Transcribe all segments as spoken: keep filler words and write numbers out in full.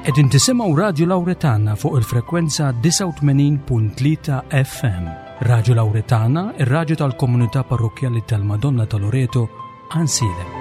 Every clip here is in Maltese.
Qegħdin tisimgħu Radju Lawretana fuq il-frekwenza disgħa u tmenin punt tlieta F M. Radju Lawretana, ir-radju tal-komunità parrokkjali tal-Madonna ta' Loreto, Għajnsielem.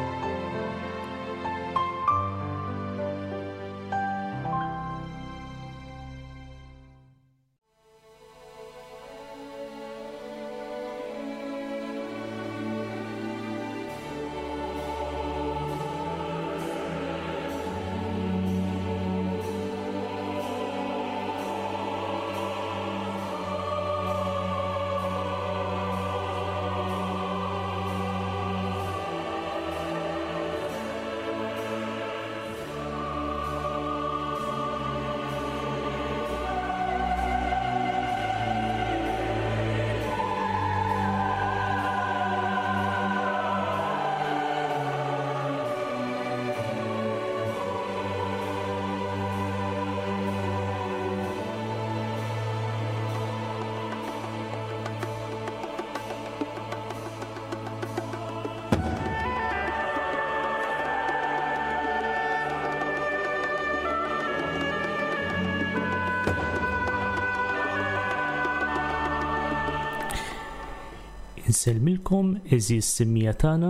Insellmilkom għeżież semmija tagħna,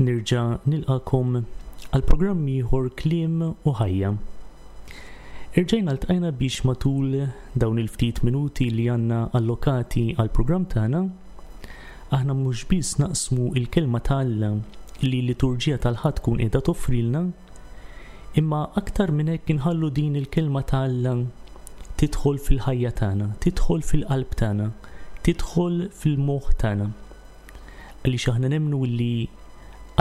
nerġa' nilqakom għal programm ieħor Kliem u Ħajja. Irġajna ltqajna biex matul dawn il-ftit minuti li għandna allokati għal programm tagħna, aħna mhux biss naqsmu il-kelma ta' Alla li l-liturġija tal-Ħadd tkun qiegħda toffrilna, imma aktar minn hekk inħallu din il-kelma ta' Alla tidħol fil-ħajja tagħna, tidħol fil-qalb tagħna, tidħol fil-moħħ tagħna. Għaliex aħna nemmnu li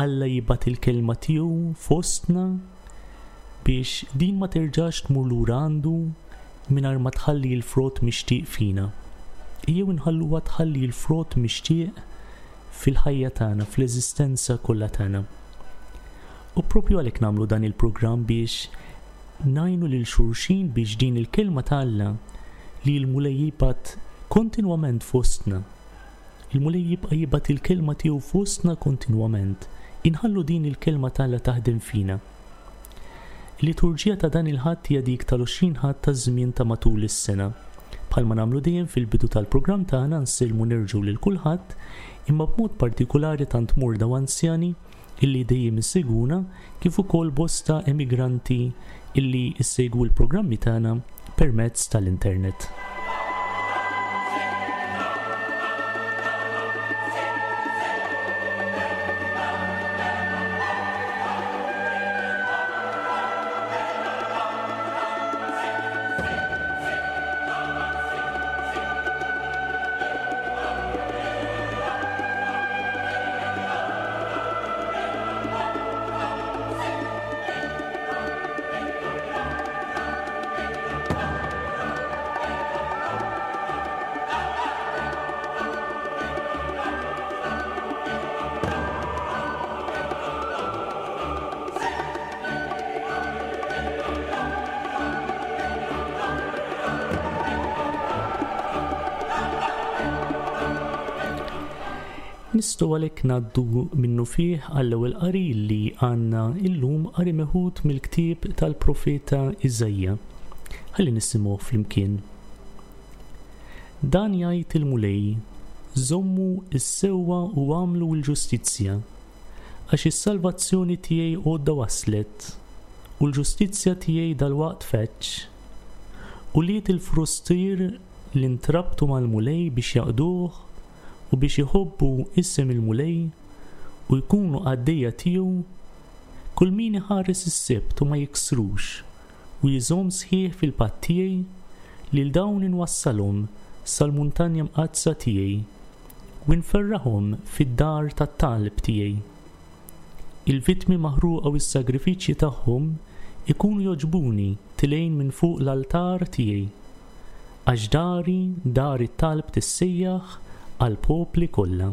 Alla jibgħat il-kelma tiegħu fostna biex din ma terġax tmur lura għandu mingħajr ma tħalli l-frott mixtieq fina. Ejjew inħalluha tħalli l-frott mixtieq fil-ħajja tagħna, fl-eżistenza kollha tagħna. U propju għalhekk nagħmlu dan il-programm biex ngħinu lil xulxin biex din il-kelma ta' Alla li l-Mulej jibgħat kontinwament fostna. Il-Mulej jibqa' jibgħat il-kelma tiegħu fostna kontinwament. Inħallu din il-kelma ta' Alla taħdem fina. Il-liturġija ta' dan il-Ħadd hija dik tal-għoxrin Ħadd taż-żmien ta' matul is-sena. Bħalma nagħmlu dejjem fil-bidu tal-programm tagħna nsellmu nerġgħu lil kulħadd, imma b'mod partikulari tant morda u anzjani illi dejjem issegwuna, kif ukoll bosta emigranti illi issegwu l-programmi tagħna permezz tal-internet. Nistgħu għalhekk ngħaddu minnu fih għall-ewwel qari li għandna illum, qari meħud mill-ktieb tal-profeta Iżaija. Ħalli nisimgħu flimkien. Dan jgħid il-Mulej, żommu s-sewwa u għamlu l-ġustizzja, għax is-salvazzjoni tiegħi għodda waslet, u l-ġustizzja tiegħi dalwaqt feċ. U liet il-frustier li ntrabtu mal-Mulej biex jaqduh u biex iħobbu isem il-Mulej u jkunu qaddejja tiegħu, kull min iħares is-Sibt u ma jiksrux u jżomm sħiħ fil-patt tiegħi, lil dawn inwassalhom sal-muntanja mqaddsa tiegħi u nferrahom fid-dar tat-talb tiegħi. Il-vittmi maħruqa u s-sagrifiċċji tagħhom ikunu jogħġbuni tilejn minn fuq l-altar tiegħi, għax dari dar it-talb tissejjaħ għall-popli kollha.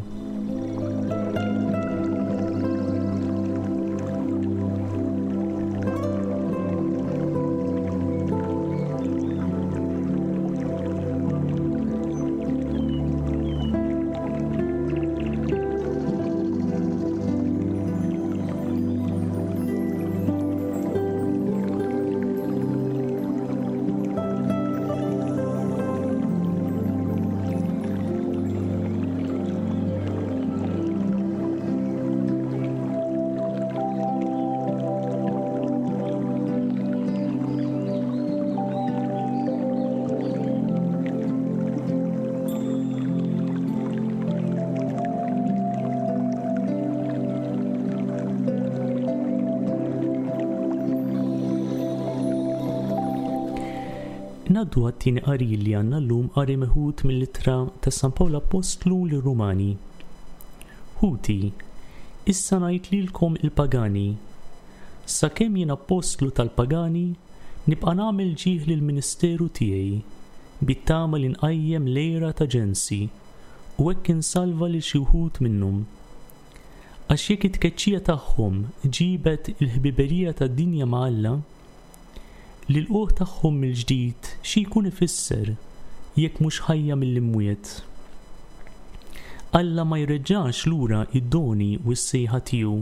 Ngħaddu għat-tieni qari li għandna llum, qari meħud mill-ittra ta' San Pawl Appostlu lir-Rumani. Ħuti, issa ngħid lilkom il-pagani, sakemm jien appostlu tal-pagani, nibqa' nagħmel ġieħ lill-ministeru tiegħi, bit-tama li nqajjem l-għira ta' ġensi, u hekk insalva lil xi wħud minnhom. Għax jekk it-tkeċċija tagħhom ġibet il-ħbiberija tad-dinja ma' Alla, l-ilqugħ tagħhom mill-ġdid xi jkun ifisser jekk mhux ħajja mill-imwiet. Alla ma jreġġax lura id-doni u s-sejħa tiegħu.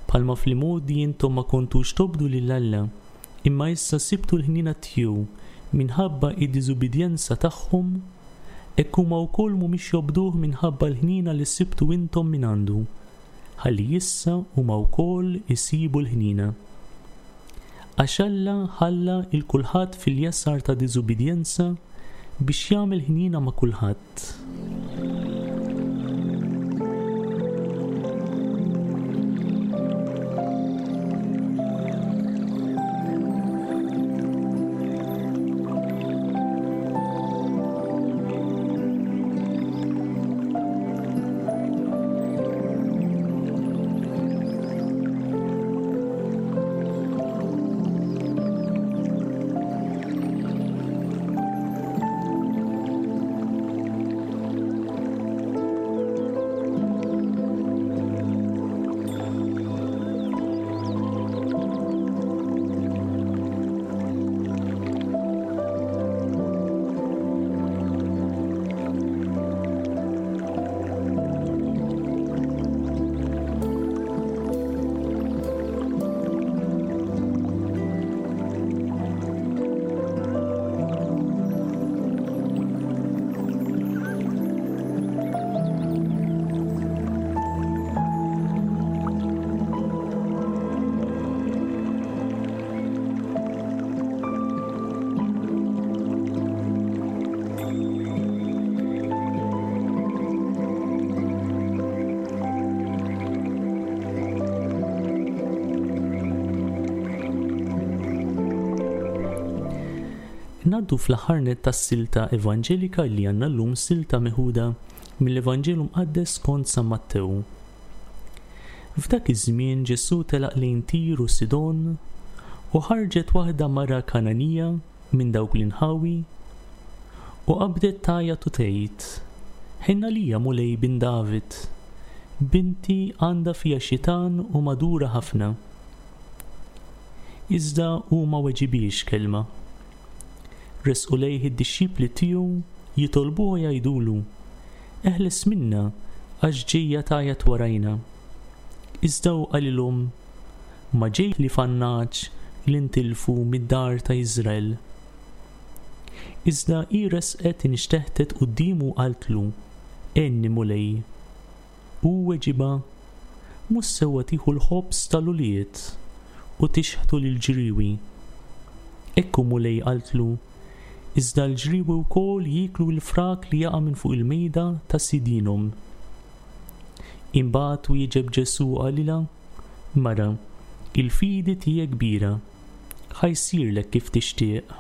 Bħalma fl-imgħoddi intom ma kontux tobdu lil Alla, imma issa sibtu l-ħniena tiegħu minħabba id-diżubbidjenza tagħhom, hekk huma wkoll mhumiex jobduh minħabba l-ħniena li sibtu intom minn għandu, ħalli issa huma wkoll isibu l-ħniena. Għax Alla ħalla il kulħadd fil-jasar ta' diżubbidjenza biex jagħmel ħniena ma' kulħadd. Ngħaddu fl-aħħar nett tas-silta evanġelika li għandna llum, silta meħuda mill-Evanġelju Mqaddes skont San Mattew. F'dak iż-żmien Ġesù telaq lejn Tir u Sidon, u ħarġet waħda mara Kananija minn dawk l-inħawi u qabdet tgħajjat u tgħid: Ħenna lija Mulej bin David, binti għandha fiha xitan u madura ħafna. Iżda hu ma weġibiex kelma. Resqu lejh id-dixxipli tiegħu jitolbuh jgħidulu: Eħles minna għax ġejja tgħajjat warajna. Iżda hu qalilhom: Ma ġej li fannaġ li ntilfu mid-dar ta' Iżrael. Iżda hi resqet inxteħtet quddiemu qaltlu: Għenni Mulej. Hu weġibha: Mhux sewwa tieħu l-ħobż tal-ulied u tixħtu lill-ġriewi. Ekku Mulej, qaltlu, iżda l-ġriewi wkoll jieklu l-frak li jaqa' minn fuq il-mejda ta' sidinhom. Imbagħad wieġeb Ġesù qalilha: Mara, il-fidi tiegħek kbira, ħa jsirlek kif tixtieq.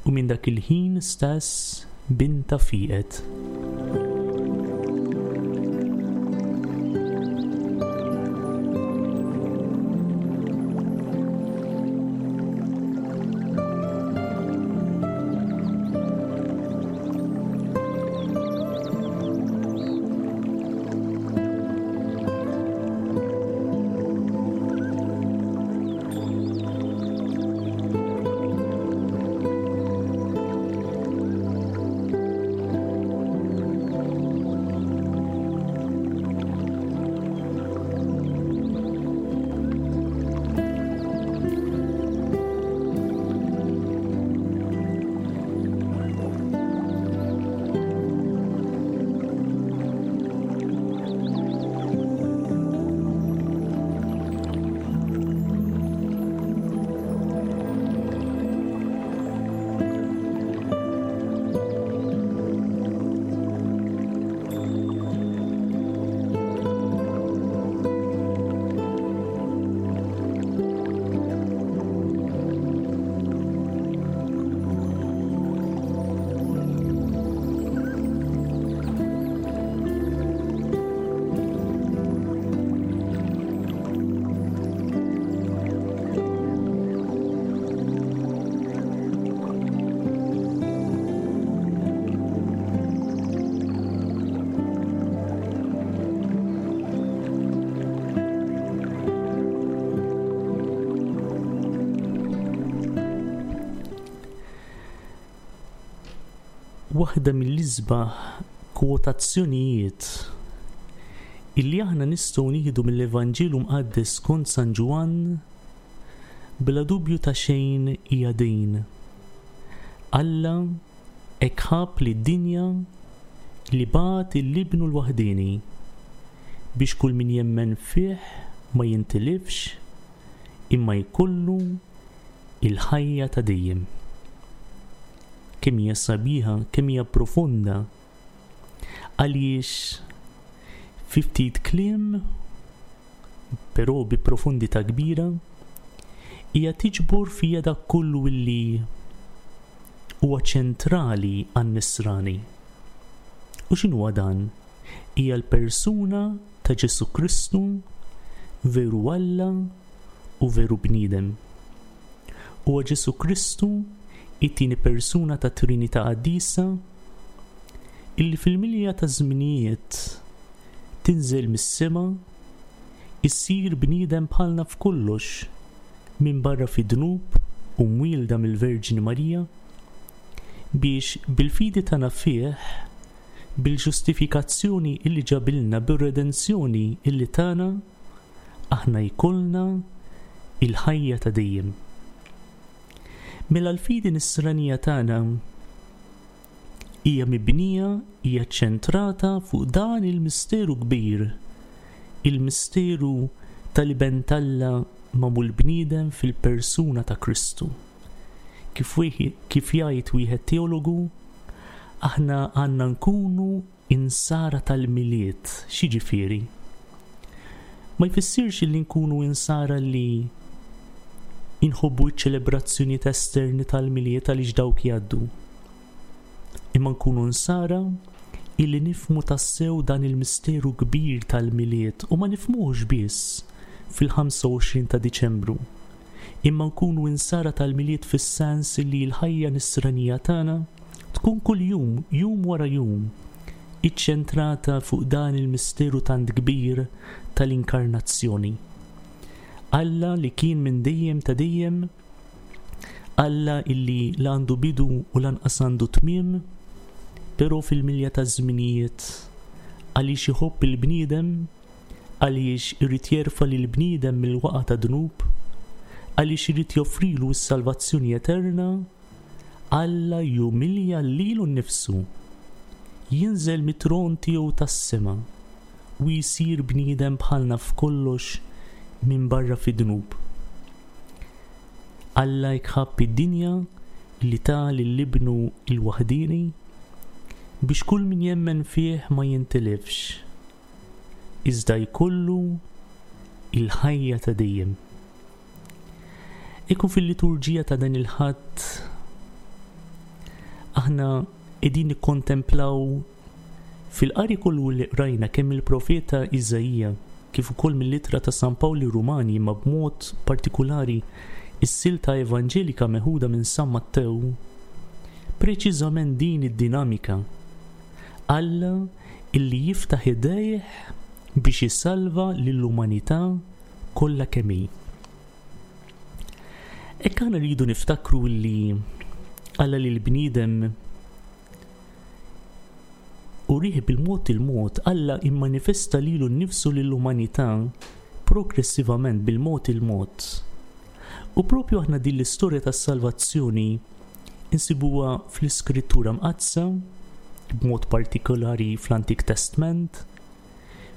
U minn dak il-ħin stess binta fieqet. Waħda mill-isbaħ kwotazzjonijiet illi aħna nistgħu nieħdu mill-Evanġelu Mqaddes skont San Ġwann bla dubju ta' xejn hija din. Alla hekk ħabb lid-dinja li bagħat lil Ibnu l-waħdieni biex kull min jemmen fih ma jintilifx imma jkollu il-ħajja ta' dejjem. Kemm hija sabiħa, kemm hija profonda, għaliex fi ftit kliem, però bi profondità kbira, hija tiġbor fija dak kollu illi huwa ċentrali għan-nisrani. U x'inhuwa dan? Hija l-persuna ta' Ġesù Kristu, veru Alla u veru bniedem. Huwa Ġesù Kristu, it-tieni persuna ta' Trinità Qaddisa, illi fil-milja ta' żminijiet tinżel mis-sema, issir bniedem bħalna f'kollox, minn barra fid-dnub u mwielda mill-Verġni Marija, biex bil-fidi tagħna fih, bil-ġustifikazzjoni illi ġabilna, bir-redenzjoni illi tagħna, aħna jkollna il-ħajja ta' dejjem. Mela l-fidi nisranija tagħna hija mibnija, hija ċentrata fuq dan il-misteru kbir, il-misteru tal-Iben t'Alla magħmul bniedem fil-persuna ta' Kristu. Kif wieħed, kif jgħid wieħed teologu, aħna għandna nkunu insara tal-Milied. X'jiġifieri? Ma jfissirx li nkunu insara li inħobbu ċ-ċelebrazzjonijiet esterni tal-Milied għaliex dawk jgħaddu. Imma nkunu nsara illi nifhmu tassew dan il-misteru kbir tal-Milied u ma nifhmuhx biss fil-ħamsa u għoxrin ta' Diċembru. Imma nkunu insara tal-Milied fis-sens li l-ħajja nisranija tagħna tkun kuljum, jum wara jum, iċċentrata fuq dan il-misteru tant kbir tal-inkarnazzjoni. Alla li kien minn dejjem ta' dejjem, Alla illi la għandu bidu u lanqas għandu tmiem, però fil-milja ta' żminijiet għaliex iħobb il-bniedem, għaliex irid jerfa' lill-bniedem mill-waqa ta' dnub, għaliex irid joffrilu s-salvazzjoni eterna, Alla jumilja lilu nnifsu, jinżel mit-tron tiegħu tas-sema u jsir bniedem bħalna f'kollox minn barra fid-dnub. Alla jħabb id-dinja li ta lil ibnu l-waħdieni biex kull min jemmen fih ma jintilifx, iżda jkollu il-ħajja ta' dejjem. Ikun fil-liturġija ta' dan il-Ħadd aħna qegħdin nikkontemplaw fil-qari kollu li qrajna kemm il-profeta Iżaija kif ukoll mill-ittra ta' San Pawl Rumani, imma b'mod partikulari is-silta evanġelika meħuda minn San Mattew, preċiżament din id-dinamika. Alla illi jiftaħ idejh biex jisalva lill-umanità kollha kemm hi. Hekk aħna rridu niftakru li Alla li l-bniedem urih bil-mod il-mod, Alla immanifesta lilu nnifsu lill-umanità progressivament bil-mod il-mod. U propju aħna din l-istorja tas-salvazzjoni insibuha fl-Iskrittura Mqaddsa, b'mod partikolari fl-Antik Testament,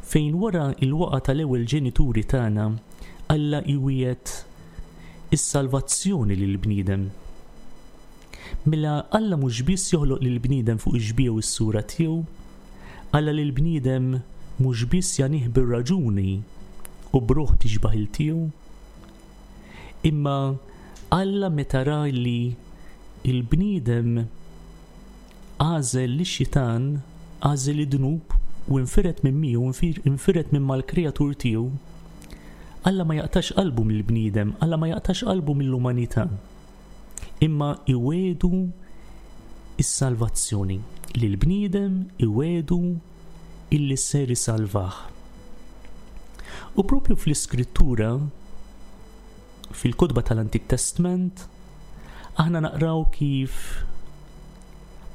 fejn wara il-waqa tal-ewwel ġenituri tagħna Alla iwiegħed is-salvazzjoni lill-bniedem. Mela Alla mhux biss joħloq lill-bniedem fuq ix-xbieha u s-sura tiegħu, Alla lill-bniedem mhux biss janih bir-raġuni u b'ruħ tixbah il tiegħu, imma Alla meta ra li il-bniedem għażel lix-xitan, għażel id-dnub u infiret minn miegħu, infir-, infiret minn mal-kreatur tiegħu, Alla ma jaqtax qalbu mill-bniedem, Alla ma jaqtax qalbu mill-umanità, imma iwedu is-salvazzjoni. Lill-bniedem iwedu illi ser isalvah. U propju fl-Iskrittura, fil-kotba tal-Antik Testament, aħna naqraw kif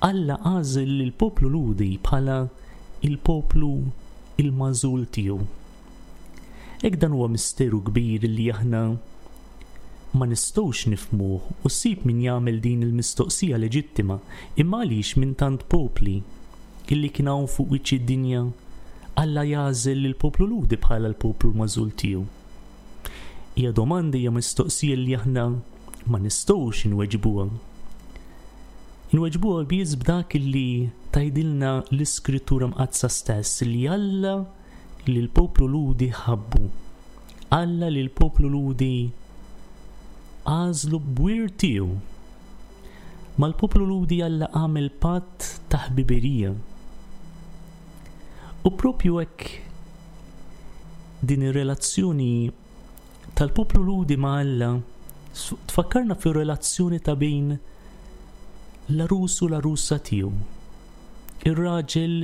Alla għażel lill-poplu Lhudi bħala il-poplu il-magħżul tiegħu. Hekk dan huwa misteru kbir li aħna ma nistgħux nifhmuh u ssib min jagħmel din il-mistoqsija leġittima, imma għaliex minn tant popli illi kien hawn fuq wiċċ id-dinja Alla jagħżel lill-poplu Lhudi bħala l-poplu l-magħżul tiegħu? Hija domanda, hija mistoqsija li aħna ma nistgħux inweġbuha. Inweġbuha biss b'dak li tgħidilna l-Iskrittura Mqaddsa stess, li Alla li l-poplu Lhudi ħabbu. Alla li l-poplu Lhudi għażlu b'wirt tiegħu. Mal-poplu Lhudi Alla għamel patt ta' ħbiberija. U propju hekk din ir-relazzjoni tal-poplu Lhudi ma' Alla tfakkarna fir-relazzjoni ta' bejn l-għarus u l-għarusa tiegħu, ir-raġel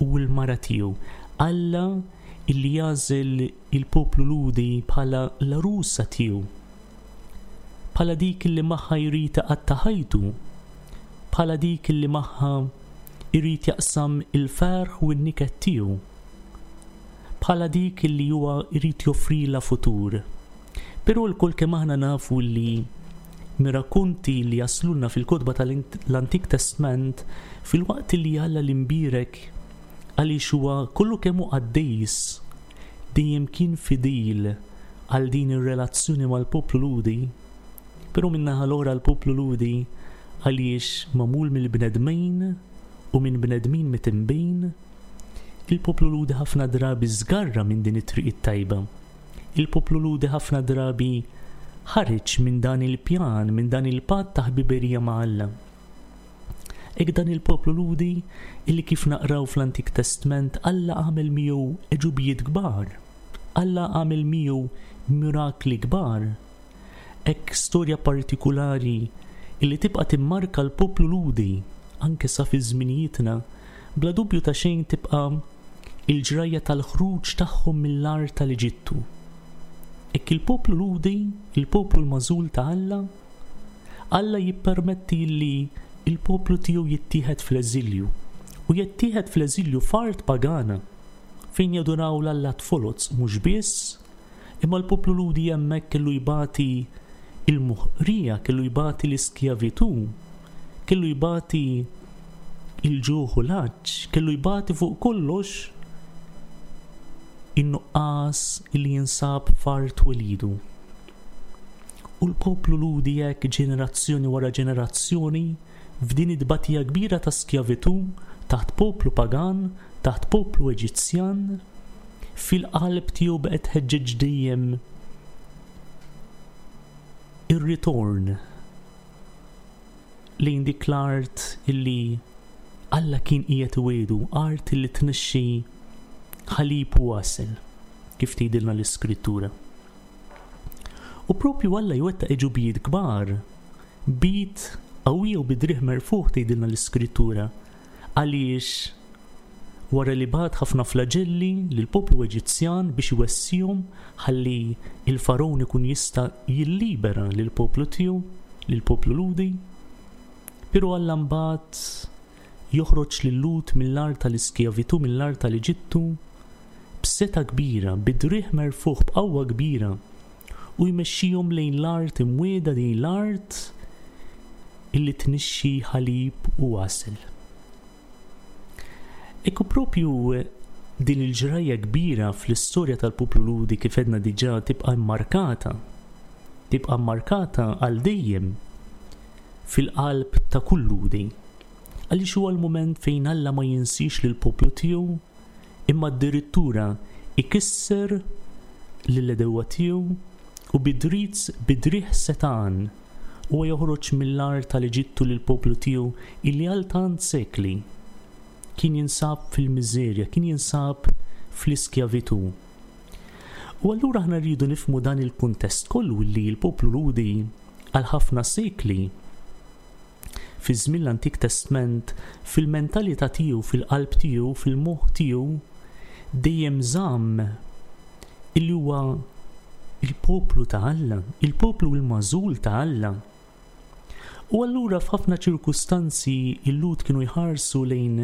u l-mara tiegħu. Alla illi jagħżel il-poplu Lhudi bħala l-għarusa tiegħu, bħala dik illi magħha jrid iqatta' ħajtu, bħala dik illi magħha jrid jaqsam il-ferħ u n-niket tiegħu, bħala dik illi huwa jrid joffrilha futur. Però lkoll kemm aħna nafu li mir-rakkonti li jaslulna fil-kotba tal-Antik Testament, filwaqt li Alla l-imbierek għaliex huwa kollu kemm hu qaddis dejjem kien fidil għal din ir-relazzjoni mal-poplu Lhudi, però min-naħa l-oħra l-poplu Lhudi għaliex magħmul mill-bnedmin u minn bnedmin mitimbin, il-poplu Lhudi ħafna drabi żgarra minn din it-triq it-tajba. Il-poplu Lhudi ħafna drabi ħareġ minn dan il-pjan, minn dan il-patt ta' ħbiberija ma' Alla. Hekk dan il-poplu Lhudi illi kif naqraw fl-Antik Testament Alla għamel miegħu għeġubijiet kbar, Alla għamel miegħu mirakli kbar. Hekk storja partikulari illi tibqa' timmarka l-poplu Lhudi anke sa fi żminijietna, bla dubju ta' xejn tibqa' il-ġrajja tal-ħruġ tagħhom mill-art tal-Eġittu. Hekk il-poplu Lhudi, il-poplu l-magħżul ta' Alla, Alla jippermetti li il-poplu tiegħu jittieħed fl-eżilju, u jittieħed fl-eżilju f'art pagana fejn jaduraw l-allat foloz mhux biss, imma l-poplu Lhudi hemmhekk kellu jbati il-muħrija, kellu jbati l-iskjavitu, kellu jbati il-ġuħ u l-għatx, kellu jbati fuq kollox in-nuqqas li jinsab f'art welidu. U l-poplu Lhudi hekk ġenerazzjoni wara ġenerazzjoni f'din it-tbatija kbira ta' skjavitu taħt poplu pagan, taħt poplu Eġizzjan, fil-qalb tiegħu baqgħet tħeġġeġ dejjem ir-ritorn lejn dik l-art illi Alla kien qiegħed iwiegħdu, art illi tnixxi ħalib u għasel, kif tgħidilna l-Iskrittura. U propju Alla jwettaq għeġubijiet kbar, b'id qawwija u bi driegħ merfugħ tgħidilna l-Iskrittura, għaliex wara li bagħat ħafna flagelli lill-poplu Eġizzjan biex iwessihom ħalli il-Faraon ikun jista' jillibera lill-poplu tiegħu, lill-poplu Lhudi, però Alla mbagħad joħroġ lil-Lhud mill-art tal-iskjavitu, mill-art tal-Eġittu, b'seta' kbira, bi driegħ merfugħ, b'qawwa kbira, u jmexxihom lejn l-art imwiegħda, din l-art illi tnixxi ħalib u għasel. Ekku propju din il-ġrajja kbira fl-istorja tal-poplu Lhudi kif edna diġà tibqa' mmarkata, tibqa' mmarkata għal dejjem fil-qalb ta' kull Lhudi. Għaliex huwa l-mument fejn Alla ma jinsiex lill-poplu tiegħu, imma addirittura ikisser lill-għedewwa tiegħu u bidriz bidriħ setan huwa joħroġ mill-art tal-Eġittu lill-poplu tiegħu illi għal tant sekli kien jinsab fil-miżerja, kien jinsab fl-iskjavitu. U allura aħna rridu nifhmu dan il-kuntest kollu illi l-poplu Lhudi għal ħafna sekli fi żmien l-Antik Testament, fil-mentalità tiegħu, fil-qalb tiegħu, fil-moħħ tiegħu, dejjem żamm illi huwa il-poplu ta' Alla, il-poplu l-magħżul ta' Alla. U allura f'ħafna ċirkustanzi il-Lhud kienu jħarsu lejn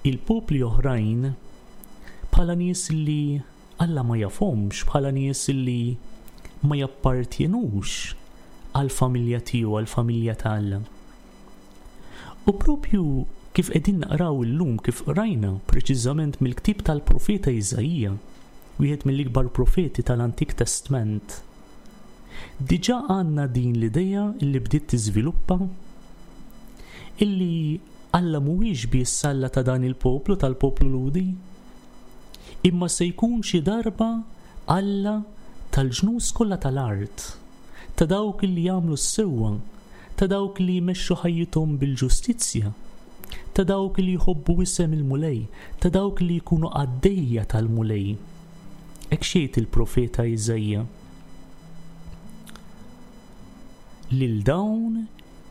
il-popli oħrajn bħala nies li Alla ma jafhomx, bħala nies li ma jappartjenux għall-familja tiegħu, għall-familja ta' Alla. U propju kif qegħdin naqraw illum, kif qrajna preċiżament mill-ktieb tal-profeta Iżaija, wieħed mill-ikbar profeti tal-Antik Testament, diġà għandna din l-idea illi bdiet tiżviluppa illi Alla mhuwiex biss Alla ta' dan il-poplu, tal-poplu Lhudi, imma se jkun xi darba Alla tal-ġnus kollha tal-art, ta' dawk li jagħmlu s-sewwa, ta' dawk li jmexxu ħajjithom bil-ġustizzja, ta' dawk li jħobbu isem il-Mulej, ta' dawk li jkunu qaddejja tal-Mulej. Hekk xejt il-profeta Iżaija. Lil dawn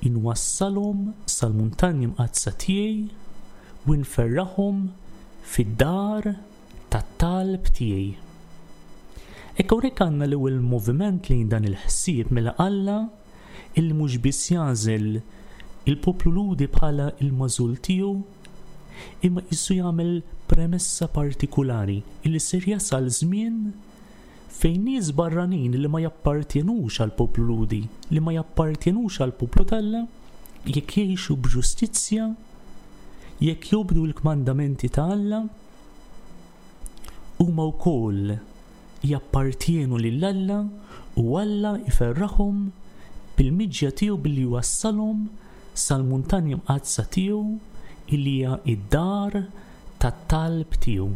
inwassalhom sal-muntanji mqaddsa tiegħi u nferraħhom fid-dar tat-talb tiegħi. Hekk hawnhekk għandna l-ewwel moviment lejn dan il-ħsieb mela Alla illi mhux biss jagħżel il-poplu Lhudi bħala il-magħżul tiegħu, imma qisu jagħmel premessa partikulari illi ser jasal żmien fejn nies barranin li ma jappartjenux għall-poplu Lhudi, li ma jappartjenux għall-poplu t'Alla, jekk jgħixu b'ġustizzja, jekk jobdu l-kmandamenti ta' Alla, huma wkoll jappartjenu lil Alla u Alla jferraħhom bil-miġja tiegħu billi jwassalhom sal-muntanji mqaddsa tiegħu illi hija id-dar tat-talb tiegħu.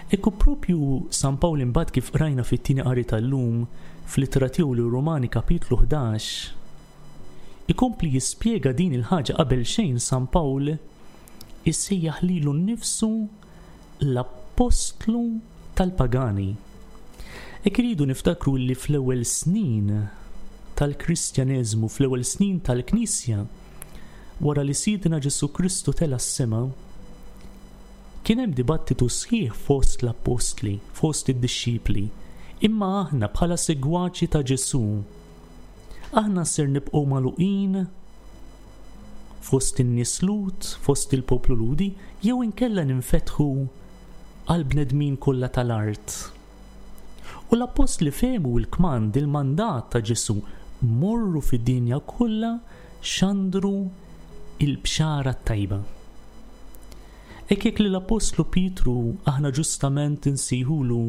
Ekku propju San Pawl imbagħad kif qrajna fit-tieni qari tal-lum fl-ittra tiegħu lir-Rumani kapitlu ħdax, ikompli jispjega din il-ħaġa. Qabel xejn San Pawl issejjaħ lilu nnifsu l-appostlu tal-pagani. Hekk iridu niftakru li fl-ewwel snin tal-Kristjaneżmu, fl-ewwel snin tal-Knisja, wara li Sidna Ġesù Kristu tela' s-sema, kien hemm dibattitu sħiħ fost l-appostli, fost id-dixxipli. Imma aħna bħala segwaċi ta' Ġesù, aħna ser nibqgħu magħluqin fost in-nies Lhud, fost il-poplu Lhudi, jew inkella ninfetħu għal bnedmin kollha tal-art. U l-appostli fehmu l-kmand, il-mandat ta' Ġesù, morru fid-dinja kollha xandru il-bxara t-tajba. Hekk jekk li l-Appostlu Pietru aħna ġustament insejħulu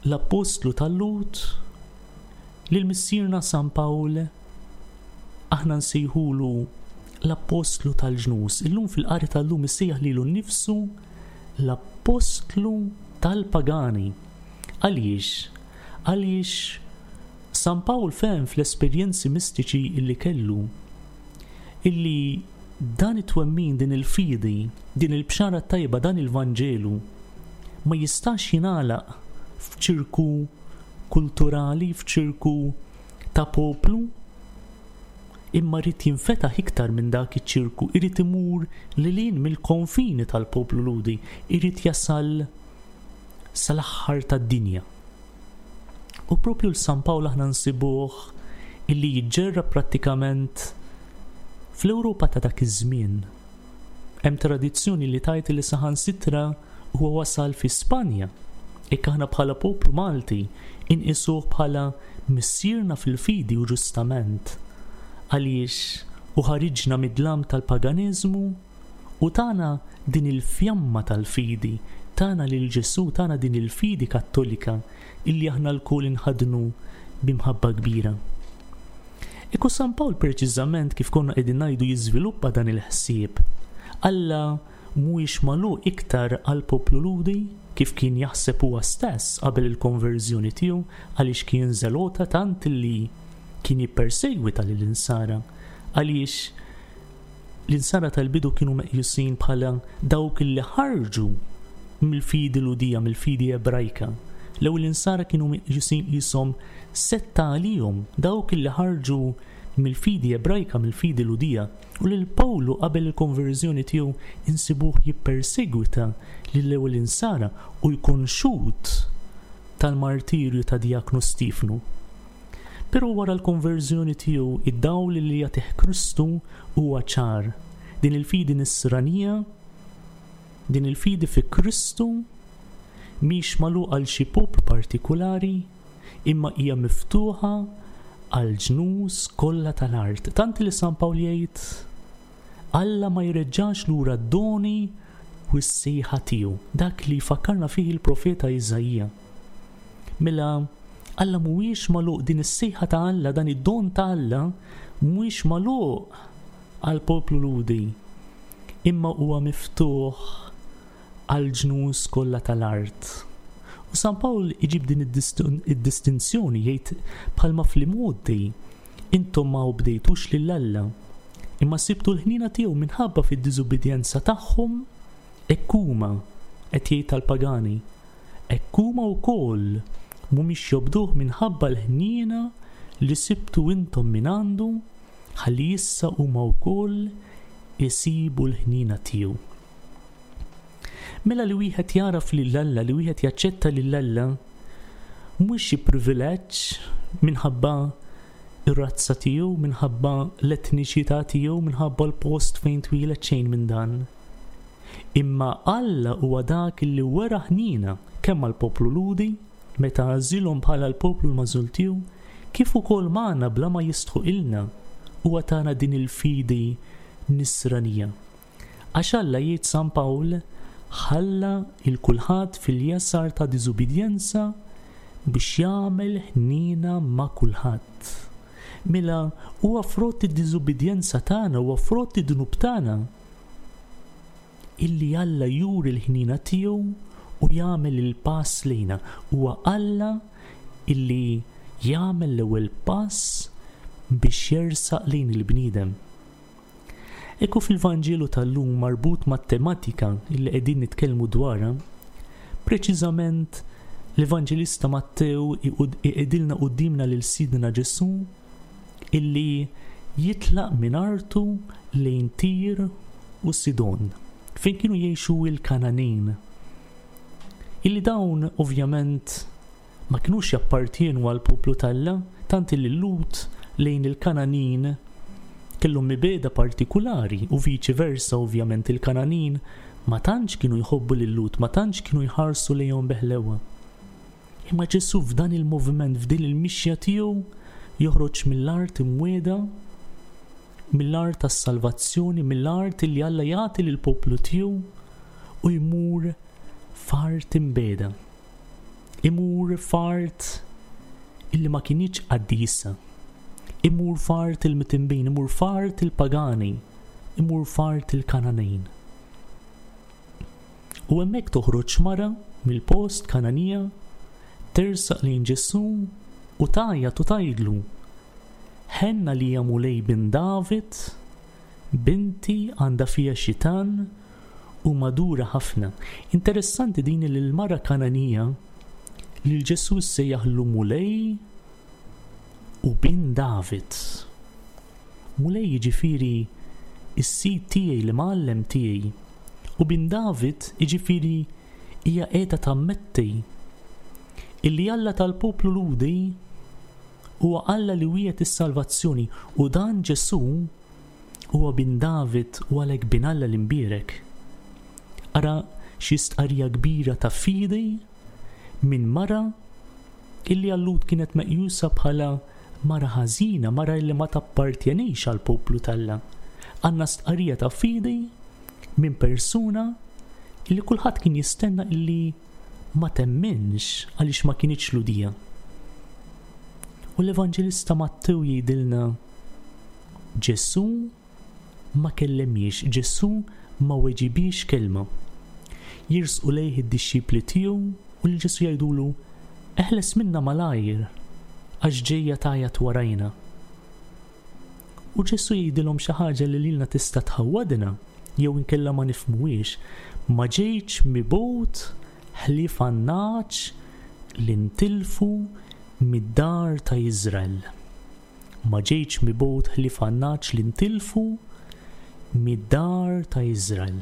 l-Appostlu tal-Lhud, lil missierna San Pawl aħna nsejħulu l-Appostlu tal-ġnus. Illum fil-qari tal-lum issejjaħ lilu nnifsu l-Appostlu tal-pagani. Għaliex? Għaliex San Pawl fehem fl-esperjenzi mistiċi illi kellu illi dan it-twemmin, din il-fidi, din il-bxara tajba, dan il-Vanġelu ma jistax jingħalaq f'ċirku kulturali, f'ċirku ta' poplu, imma rrid jinfetaħ iktar minn dak iċ-ċirku, irid imur lil hinn mill-konfini tal-poplu Lhudi, irid jasal sal-aħħar tad-dinja. U propju l-San Pawl aħna nsibuh illi jiġġerra prattikament fl-Ewropa ta' dak iż-żmien. Hemm tradizzjoni li tgħid li saħansitra huwa wasal fi Spanja. Hekk aħna bħala poplu Malti inqisuh bħala missierna fil-fidi u ġustament, għaliex u ħariġna mid-dlam tal-paganiżmu u tana din il-fjamma tal-fidi, tana lil Ġesù, tana din il-fidi kattolika illi aħna lkoll inħadnu b'imħabba kbira. Ekku San Pawl preċiżament kif konna qegħdin ngħidu jiżviluppa dan il-ħsieb. Alla mhuwiex magħluq iktar għal poplu Lhudi kif kien jaħseb huwa stess qabel il-konverżjoni tiegħu, għaliex kien żelota tant li kien jippersegwita lill-insara, għaliex l-insara tal-bidu kienu meqjusin bħala dawk li ħarġu mill-fidi Lhudija, mill-fidi Ebrajka. L-ewwel insara kienu meqjusin qishom setta għalihom, dawk li ħarġu mill-fidi Ebrajka, mill-fidi Lhudija. U lil Pawlu qabel il-konverżjoni tiegħu insibuh jippersegwita lill-ewwel insara u jkun xhud tal-martirju ta' Djaknu Stifnu. Però wara l-konverżjoni tiegħu, id-dawl li jagħtih Kristu huwa ċar. Din il-fidi nisranija, din il-fidi fi Kristu mhix magħluqa għal xi poplu partikulari, imma hija miftuħa għal ġnus kollha tal-art. Tant li San Pawl jgħid Alla ma jreġġax lura d-doni u s-sejħa tiegħu, dak li fakkarna fih il-profeta Iżaija. Mela Alla mhuwiex magħluq, din is-sejħa ta' Alla, dan id-don ta' Alla mhuwiex magħluq għal poplu Lhudi, imma huwa miftuħ għal ġnus kollha tal-art. U San Pawl iġib din id-distinzjoni, jgħid bħalma fl-imgħoddi intom ma obdejtux lil Alla, imma sibtu l-ħnina tiegħu minħabba fid-diżubbidjenza tagħhom, hekk huma, qed jgħid tal-pagani, hekk huma wkoll mhumiex jobduh minħabba l-ħniena li sibtu intom minn għandu, ħalli issa huma wkoll isibu l-ħniena tiegħu. Mela li wieħed jaraf lil Alla, li wieħed jaċċetta lil Alla, mhux xi privileġġ minħabba ir-razza tiegħu, minħabba l-etniċità tiegħu, minħabba l-post fejn twieled, xejn minn dan. Imma Alla huwa dak li wera ħnina kemm għall-poplu Lhudi meta għażilhom bħala l-poplu l-magħżul tiegħu, kif ukoll magħna bla ma jistħoqilna huwa tana din il-fidi nisranija. Għax Alla, jgħid San Pawl, ħalla il kulħadd fil-jasar ta' diżubbidjenza biex jagħmel ħnina ma' kulħadd. Mela huwa frott id-diżubbidjenza tagħna, huwa frott id-dnub tagħna illi Alla juri l-ħnina tiegħu u jagħmel il-pass lejna. Huwa Alla illi jagħmel l-ewwel pass biex jersaq lejn il-bniedem. Ekku fil-Vanġelu tal-lum marbut mat-tematika illi qegħdin nitkellmu dwarha, preċiżament l-Evanġelista Mattew iqegħdilna quddiemna lil Sidna Ġesù illi jitlaq minn artu lejn Tir u Sidon, fejn kienu jgħixu il-Kananin. Illi dawn ovvjament ma kinux jappartienu għal poplu t'Alla, tant illi l-Lhud lejn il-Kananin kellhom mibegħda partikulari u viċi versa ovvjament il-Kananin ma tantx kienu jħobbu lil-Lhud, ma tantx kienu jħarsu lejhom beħlewa. Imma Ġesù f'dan il-moviment, f'din il-mixja tiegħu joħroġ mill-art imwiegħda, mill-art tas-salvazzjoni, mill-art li Alla jagħti lill-poplu tiegħu u jmur f'art imbiegħda. Imur f'art illi ma kinitx qaddisa. Imur f'art il-mitimbin, imur f'art il-pagani, imur f'art il-Kananin. U hemmhekk toħroġ mara mill-post Kananija, tersaq lejn Ġesù u tgħajjat u tgħidlu: Ħenna li ja Mulej bin David, binti għandha fija xitan u madura ħafna. Interessanti din li l-mara Kananija lil Ġesù sejjaħlu Mulej u bin David. Mulej jiġifieri is-sid tiegħi, l-imgħallem tiegħi, u bin David jiġifieri hija qiegħda tammetti illi Alla tal-poplu Lhudi huwa Alla li wiegħed is-salvazzjoni, u dan Ġesù huwa bin David u għalhekk bin Alla l-imbierek. Ara xi stqarrija kbira ta' fidi minn mara illi għal-Lhud kienet meqjusa bħala mara ħażina, mara illi ma tappartjenix għall-poplu t'Alla. Għandna stqarrija ta' fidi minn persuna illi kulħadd kien jistenna illi ma temminx għaliex ma kinitx Lhudija. U l-Evanġelista Mattew jgħidilna Ġesù ma kellemiex, Ġesù ma weġibiex kelma. Jirsqu lejh id-dixxipli tiegħu u lil Ġesù jgħidulu: Eħles minna malajr għax ġejja tgħajjat warajna. U Ġesù jgħidilhom xi ħaġa li lilna tista' tħawwadna jew inkella ma nifhmuhiex: ma ġejtx mibgħut ħlief għan-nagħaġ li ntilfu mid-dar ta' Iżrael. Ma ġejtx mibgħut ħlief għan-nagħaġ li ntilfu mid-dar ta' Iżrael.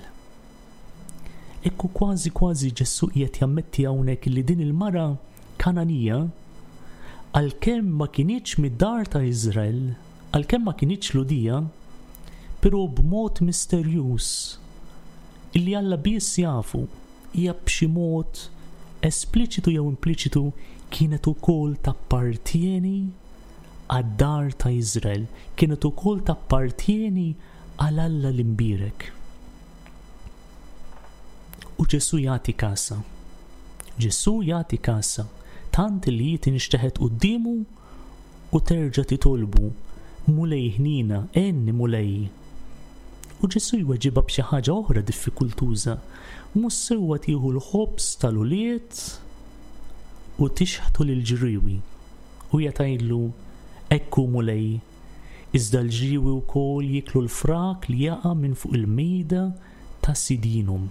Ekku kważi kważi Ġesù qiegħed jammetti hawnhekk li din il-mara Kananija għalkemm ma kinitx mid-dar ta' Iżrael, għalkemm ma kinitx Lhudija, però b'mod misterjuż illi Alla biss jafu, hija b'xi mod espliċitu jew impliċitu kienet ukoll tappartieni għad-dar ta' Iżrael, kienet ukoll tappartieni għal Alla l-imbierek. U Ġesù jagħti kasha. Ġesù jagħti kasha tant li hi tinxteħet quddiemu u terġa' titolbu, Mulej ħnina, għenni Mulej. U Ġesù jweġibha b'xi ħaġa oħra diffikultuża. Mhux sewwa tieħu l-ħobż tal-ulied u tixħtu lill-ġriewi. U hija tgħidlu, hekk hu Mulej, iżda l-ġriewi wkoll jieklu l-frak li jaqa' minn fuq il-mejda ta' sidinhom.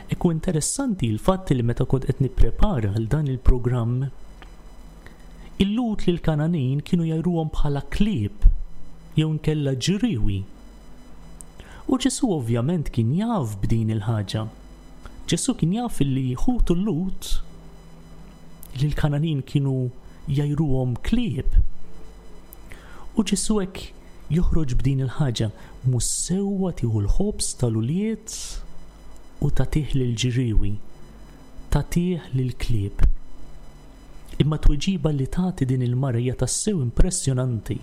Ekku interessanti l-fatt li meta kont qed nipprepara għal dan il-programm, il-Lhud lil Kananin kienu jgħajruhom bħala klieb jew nkella ġriewi. U Ġesù ovvjament kien jaf b'din il-ħaġa. Ġesù kien jaf li ħutu l-Lhud li l-Kananin kienu jgħajruhom klieb. U Ġesù hekk joħroġ b'din il-ħaġa, mhux sewwa tieħu l-ħobż tal-ulied u tagħtih lill-ġriewi, tagħtih lill-klieb. Imma tweġiba li tagħti din il-mara hija tassew impressjonanti.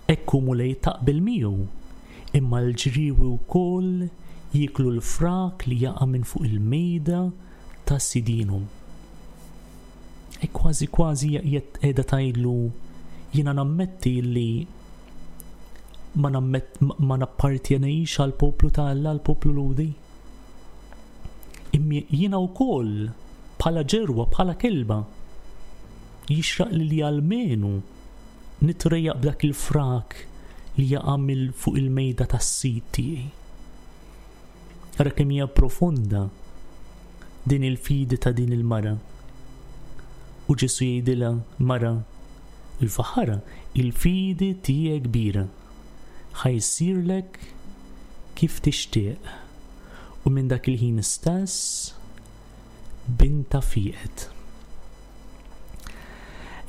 Hekk hu Mulej taqbel miegħu, imma l-ġriewi wkoll jieklu l-frak li jaqa' minn fuq il-mejda ta' sidinhom. E kważi kważi qiegħda tgħidlu jiena nammetti li ma nammet, ma nappartjenix għal poplu ta' Alla, għal poplu Lhudi. Imma jiena wkoll bħala ġerwa, bħala kelba, jixraq li li almenu nitrejjaq b'dak il-frak li jaqa' mill fuq il-mejda tas-sid tiegħi. Ara kemm hija profonda din il-fidi ta' din il-mara. U Ġesù jgħidilha, mara, il-faħara, il-fidi tiegħek kbira, ħa jsirlek kif tixtieq. U minn dak il-ħin stess binta fieqet.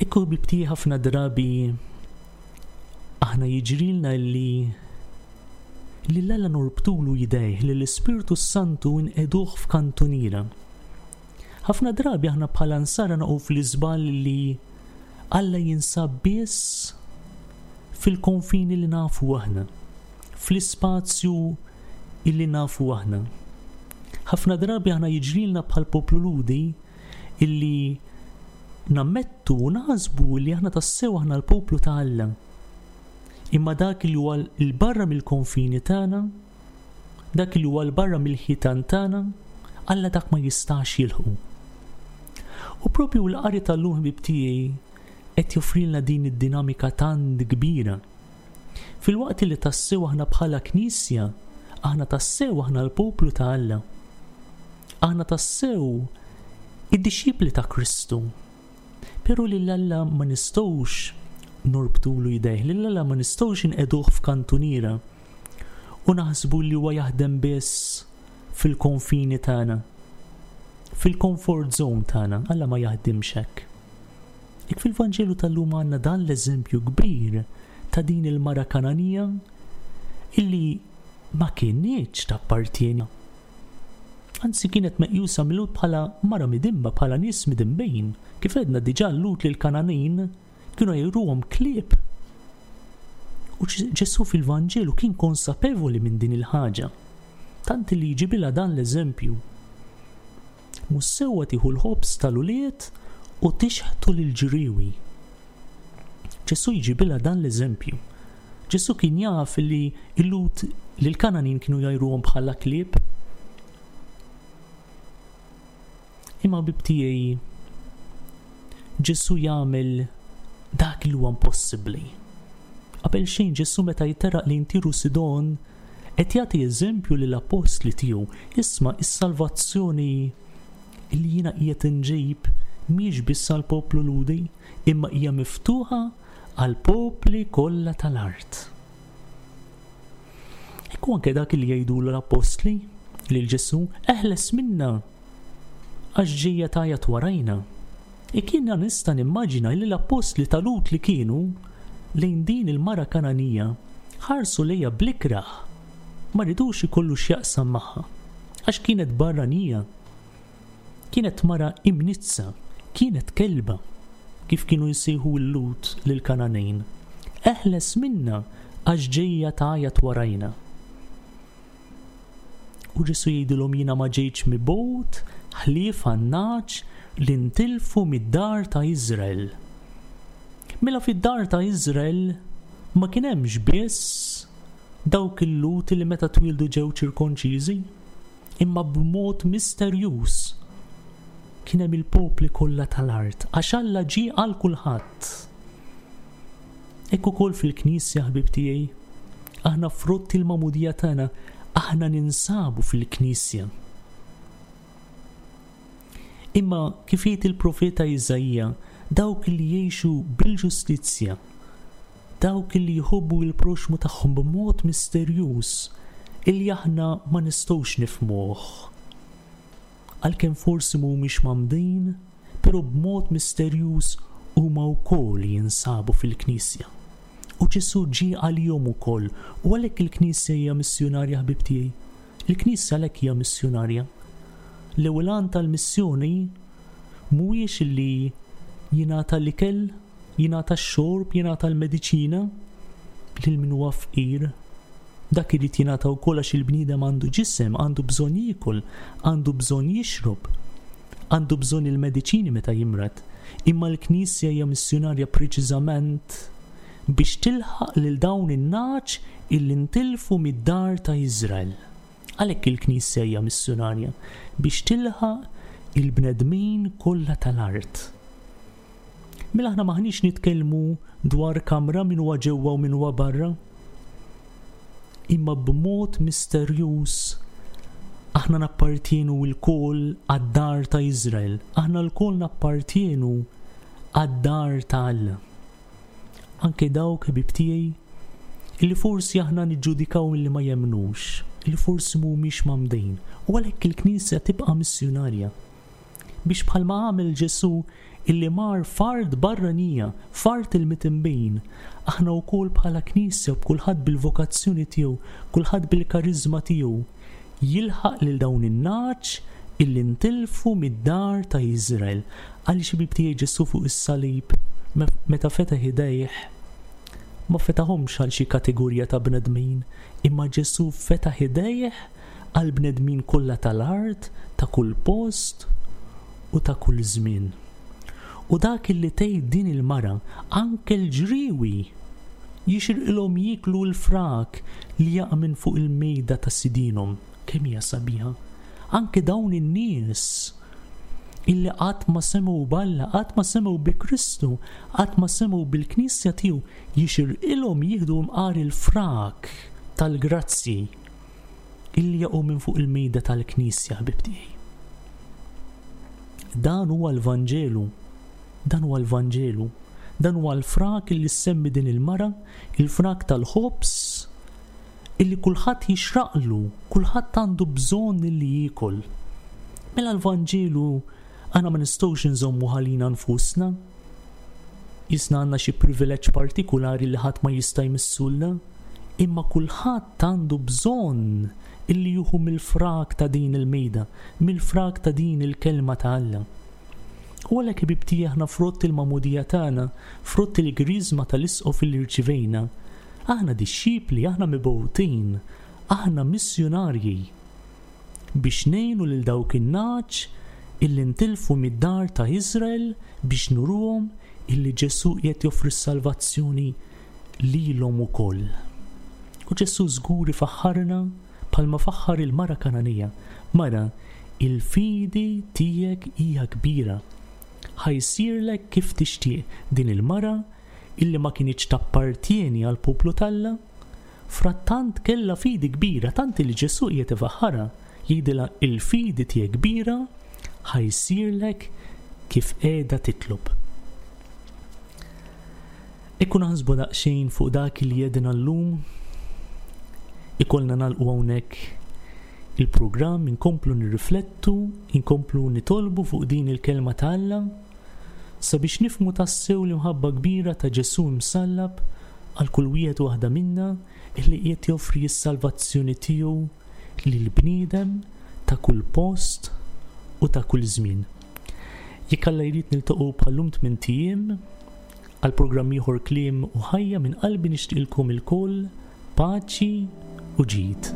Ekku ħbibti, ħafna drabi aħna jiġrilna li li l-Alla norbtulu jdejh, li l-Ispirtu Santu nqegħduh f'kantuniera. Ħafna drabi aħna bħala nsara naqgħu fl-iżball li Alla jinsab biss fil-konfini li nafu aħna, fl-ispazju illi nafu aħna. Ħafna drabi aħna jiġrilna bħal poplu Lhudi illi nammettu u naħsbu li aħna tassew aħna l-poplu ta' Alla. Imma dak li huwa 'l barra mill-konfini tagħna, dak li huwa 'l barra mill-ħitan tagħna, Alla dak ma jistax jilħqu. U propju l-qari tal-lum ħbib tiegħi qed joffrilna din id-dinamika tant kbira. Filwaqt li tassew aħna bħala knisja, aħna tassew aħna l-poplu ta' Alla. Aħna tassew id-dixxipli ta' Kristu. Però lil Alla ma nistgħux norbtulu jdejh, lil Alla ma nistgħux inqegħduh f'kantuniera u naħsbu li huwa jaħdem biss fil-konfini tagħna, fil-comfort zone tagħna. Alla ma jaħdimx hekk. Ik fil-Vanġelu tal-lum għandna dan l-eżempju kbir ta' din il-mara Kananija illi ma kinitx tappartieni. Anzi kienet meqjusa mill-Lhud bħala mara midimba, bħala nies midimbejn. Kif għedna diġà l-Lhud lil Kananin kienu jgħajruhom klieb. U Ġesù fil-Vanġelu kien konsapevoli minn din il-ħaġa. Tant li jġibilha dan l-eżempju. Mhux sewwa tieħu l-ħobż tal-ulied u tixħtu lill-ġriewi. Ġesù jġibilha dan l-eżempju. Ġesù kien jaf li l-Lhud lil Kananin kienu jgħajruhom bħala klieb. Imma ħbib tiegħi, Ġesù jagħmel dak li huwa impossibbli. Qabel xejn Ġesù meta jiterraq lejn Tiru Sidon qed jagħti eżempju lill-appostli tiegħu, isma' is-salvazzjoni li jiena qiegħed inġib mhix biss għall-poplu Lhudi, imma hija miftuħa għall-popli kollha tal-art. Ekku anke dak li jgħidulu l-appostli lil Ġesù, eħles minna għax ġejja tajat warajna. Jiena nista' nimmaġina li l-appostli tal-Lhud li kienu lejn din il-mara Kananija ħarsu lejha bl-ikrah, ma ridux ikollu x'jaqsam magħha, għax kienet barranija, kienet mara imniġġsa, kienet kelba, kif kienu jsejħu l-Lhud lill-Kananejn. Eħles minna għax ġejja tgħajjat warajna. U Ġesù jgħidilhom, jiena ma ġejtx mibgħut ħlief għan-nagħaġ li ntilfu mid-dar ta' Izrael. Mela fid-dar ta' Izrael ma kien hemmx biss dawk il-Lhud li meta twildu ġew ċirkonċiżi, imma b'mod misterjuż kien hemm il-popli kollha tal-art, għax Alla ġie għal kulħadd. Hekk ukoll fil-Knisja, ħbib tiegħi, aħna frott il-magħmudija tagħna, aħna ninsabu fil-Knisja. Imma kif jgħid il-profeta Iżaija, dawk li jgħixu bil-ġustizzja, dawk li jħobbu il-proxmu tagħhom b'mod misterjuż illi aħna ma nistgħux nifhmuh. Għalkemm forsi mhumiex mgħammdin, però b'mod misterjuż huma wkoll jinsabu fil-Knisja. U Ġesù ġie għalihom ukoll, u għalhekk il-Knisja hija missjonarja, ħbib tiegħi. Il-Knisja għalhekk hija missjonarja. L-ewwel għan tal-missjoni mhuwiex li jingħata l-ikel, jingħata x-xorb, jingħata l-mediċina lil min huwa fqir. Dak irid jingħata wkoll għax il-bniedem għandu ġisem, għandu bżonn jiekol, għandu bżonn jixrob, għandu bżonn il-mediċini meta jimrad. Imma l-Knisja hija missjonarja preċiżament biex tilħaq lil dawn in-nagħaġ illi ntilfu mid-dar ta' Iżrael. Għalhekk il-Knisja hija missjonarja biex tilħaq il-bnedmin kollha tal-art. Mela aħna maħniex nitkellmu dwar kamra min huwa ġewwa u min huwa barra, imma b'mod misterjuż aħna nappartienu lkoll għad-dar ta' Iżrael, aħna lkoll nappartienu għad-dar ta' Alla. Anke dawk, ħbib tiegħi, illi forsi aħna niġġudikaw illi ma jemnux, illi forsi mhumiex mgħammdin, u għalhekk il-Knisja tibqa' missjonarja biex bħalma għamel Ġesù illi mar f'art barranija, f'art il-midinbin, aħna wkoll bħala Knisja, b'kulħadd bil-vokazzjoni tiegħu, kulħadd bil-karizma tiegħu, jilħaq lil dawn in-nagħaġ illi ntilfu mid-dar ta' Iżrael. Għaliex, ħbib tiegħi, Ġesù fuq is-salib meta fetaħ idejh ma fetaħhomx għal xi kategorija ta' bnedmin, imma Ġesù fetaħ idejh għal bnedmin kollha tal-art, ta' kull post u ta' kull żmien. U dak illi tgħid din il-mara, anke l-ġriwi jixirqilhom jieklu l-frak li jaqa' minn fuq il-mejda ta' sidinhom. Kemm hija sabiħa. Anke dawn in-nies illi qatt ma semgħu b'Alla, qatt ma semgħu bi Kristu, qatt ma semgħu bil-Knisja tiegħu, jixirqilhom jieħdu mqar il-frak tal-grazzi illi jaqgħu minn fuq il-mejda tal-Knisja, ħbib tiegħi. Dan huwa l-Vanġelu. Dan huwa l-Vanġelu. Dan huwa l-frak illi semmi din il-mara, il-frak tal-ħobż illi kulħadd jixraqlu, kulħadd għandu bżonn illi jiekol. Mela l-Vanġelu aħna ma nistgħux nżommu għalina nfusna. Qisna għandna xi privileġġ partikulari li ħadd ma jista' jmissulna, imma kulħadd għandu bżonn illi jieħu mill-frak ta' din il-mejda, mill-frak ta' din il-kelma ta' Alla. U għalhekk, ħbib tiegħi, aħna frott il-magħmudija tagħna, frott il-griżma tal-isqof li rċivejna, aħna dixxipli, aħna mibgħutin, aħna missjonarji biex ngħinu lil dawk in-nagħaġ illi ntilfu mid-dar ta' Iżrael, biex nuruhom illi Ġesù qed joffri s-salvazzjoni lilhom ukoll. U Ġesù żgur ifaħħarna bħalma faħħar il-mara Kananija. Mara, il-fidi tiegħek hija kbira. Ħa jsirlek kif tixtieq. Din il-mara illi ma kinitx tappartieni għal poplu t'Alla, frattant kella fidi kbira, tant li Ġesù qiegħed ifaħħarha, jgħidilha il-fidi tiegħek kbira, ħa jsirlek kif qiegħda titlob. Ikun naħsbu daqsxejn fuq dak li għedna llum, ikollna nagħlqu hawnhekk il-programm, inkomplu nirriflettu, inkomplu nitolbu fuq din il-kelma ta' Alla. Sabiex nifhmu tassew l-imħabba kbira ta' Ġesù msallab għal kull wieħed u waħda minna illi qiegħed joffri s-salvazzjoni tiegħu lill-bniedem ta' kull post u ta' kull żmien. Jekk Alla jrid, niltaqgħu bħal-lum tmint ijiem għal programm ieħor, Kliem u Ħajja. Minn qalbi nixtieqilkom ilkoll paċi u ġid.